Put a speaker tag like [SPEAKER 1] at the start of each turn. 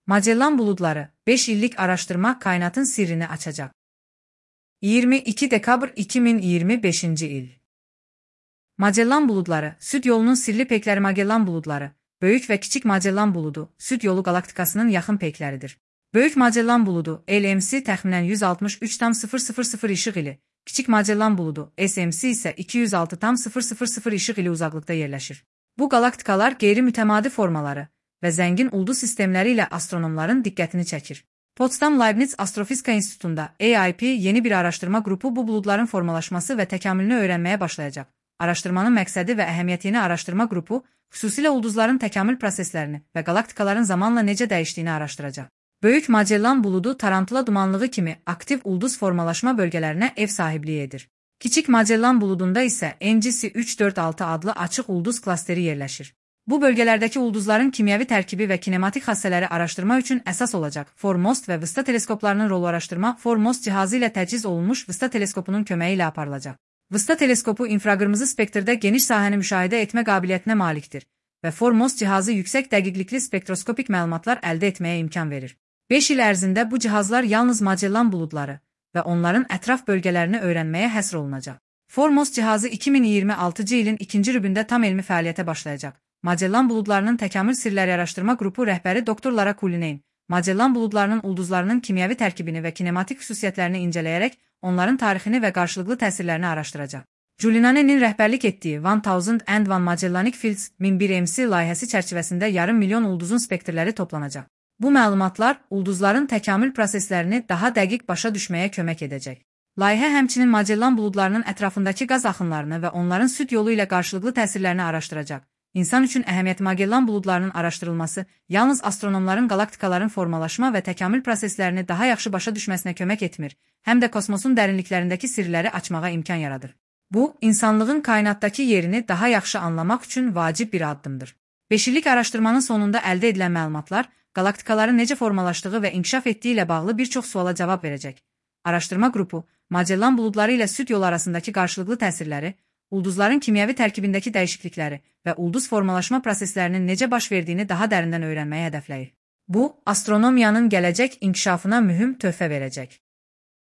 [SPEAKER 1] Magellan buludları 5 illik araştırma kainatın sirrini açacak. 22 dekabr 2025 il. Magellan buludları, Süd yolunun sirli peykləri Magellan buludları, Böyük və Kiçik Magellan buludu, Süd yolu qalaktikasının yaxın peykləridir. Böyük Magellan buludu, LMC təxminən 163,000 işıq ili, Kiçik Magellan buludu, SMC isə 206,000 işıq ili uzaqlıqda yerləşir. Bu qalaktikalar qeyri-mütəmadi formaları və zəngin ulduz sistemləri ilə astronomların diqqətini çəkir. Potsdam-Leibniz Astrofizika İnstitutunda AIP yeni bir araşdırma qrupu bu buludların formalaşması və təkamülünü öyrənməyə başlayacaq. Araşdırmanın məqsədi və əhəmiyyətini araşdırma qrupu, xüsusilə ulduzların təkamül proseslərini və qalaktikaların zamanla necə dəyişdiyini araşdıracaq. Böyük Magellan buludu tarantula dumanlığı kimi aktiv ulduz formalaşma bölgələrinə ev sahibliyi edir. Kiçik Magellan buludunda isə NGC 346 adlı açıq ulduz klasteri yerləşir. Bu bölgələrdəki ulduzların kimyəvi tərkibi və kinematik xassələri araşdırma üçün əsas olacaq. FORMOST və VISTA teleskoplarının rolu araşdırma FORMOST cihazı ilə təchiz olunmuş VISTA teleskopunun köməyi ilə aparılacaq. VISTA teleskopu infraqırmızı spektrdə geniş sahəni müşahidə etmə qabiliyyətinə malikdir və FORMOST cihazı yüksək dəqiqlikli spektroskopik məlumatlar əldə etməyə imkan verir. 5 il ərzində bu cihazlar yalnız Magellan buludları və onların ətraf bölgələrini öyrənməyə həsr olunacaq. FORMOST cihazı 2026 ilin ikinci rübündə tam elmi fəaliyyətə başlayacaq. Magellan buludlarının təkamül sirləri araşdırma qrupu rəhbəri Dr. Lara Cullinane, Magellan buludlarının ulduzlarının kimyəvi tərkibini və kinematik xüsusiyyətlərini incələyərək onların tarixini və qarşılıqlı təsirlərini araşdıracaq. Cullinane'nin rəhbərlik etdiyi 1001 Magellanic Fields 1001 MC layihəsi çərçivəsində yarım milyon ulduzun spektrləri toplanacaq. Bu məlumatlar ulduzların təkamül proseslərini daha dəqiq başa düşməyə kömək edəcək. Layihə həmçinin Magellan buludlarının ətrafındakı qaz axınlarını və onların süd yolu ilə qarşılıqlı təsirlərini araşdıracaq. İnsan üçün əhəmiyyəti Magellan buludlarının araşdırılması yalnız astronomların qalaktikaların formalaşma və təkamül proseslərini daha yaxşı başa düşməsinə kömək etmir, həm də kosmosun dərinliklərindəki sirləri açmağa imkan yaradır. Bu, insanlığın kainatdakı yerini daha yaxşı anlamaq üçün vacib bir addımdır. 5 illik araşdırmanın sonunda əldə edilən məlumatlar qalaktikaların necə formalaşdığı və inkişaf etdiyi ilə bağlı bir çox suala cavab verəcək. Araşdırma qrupu Magellan buludları ilə süd yolu arasındakı qarşılıqlı təsirləri, ulduzların kimyəvi tərkibindəki dəyişiklikləri və ulduz formalaşma proseslərinin necə baş verdiyini daha dərindən öyrənməyi hədəfləyir. Bu, astronomiyanın gələcək inkişafına mühüm töhfə verəcək.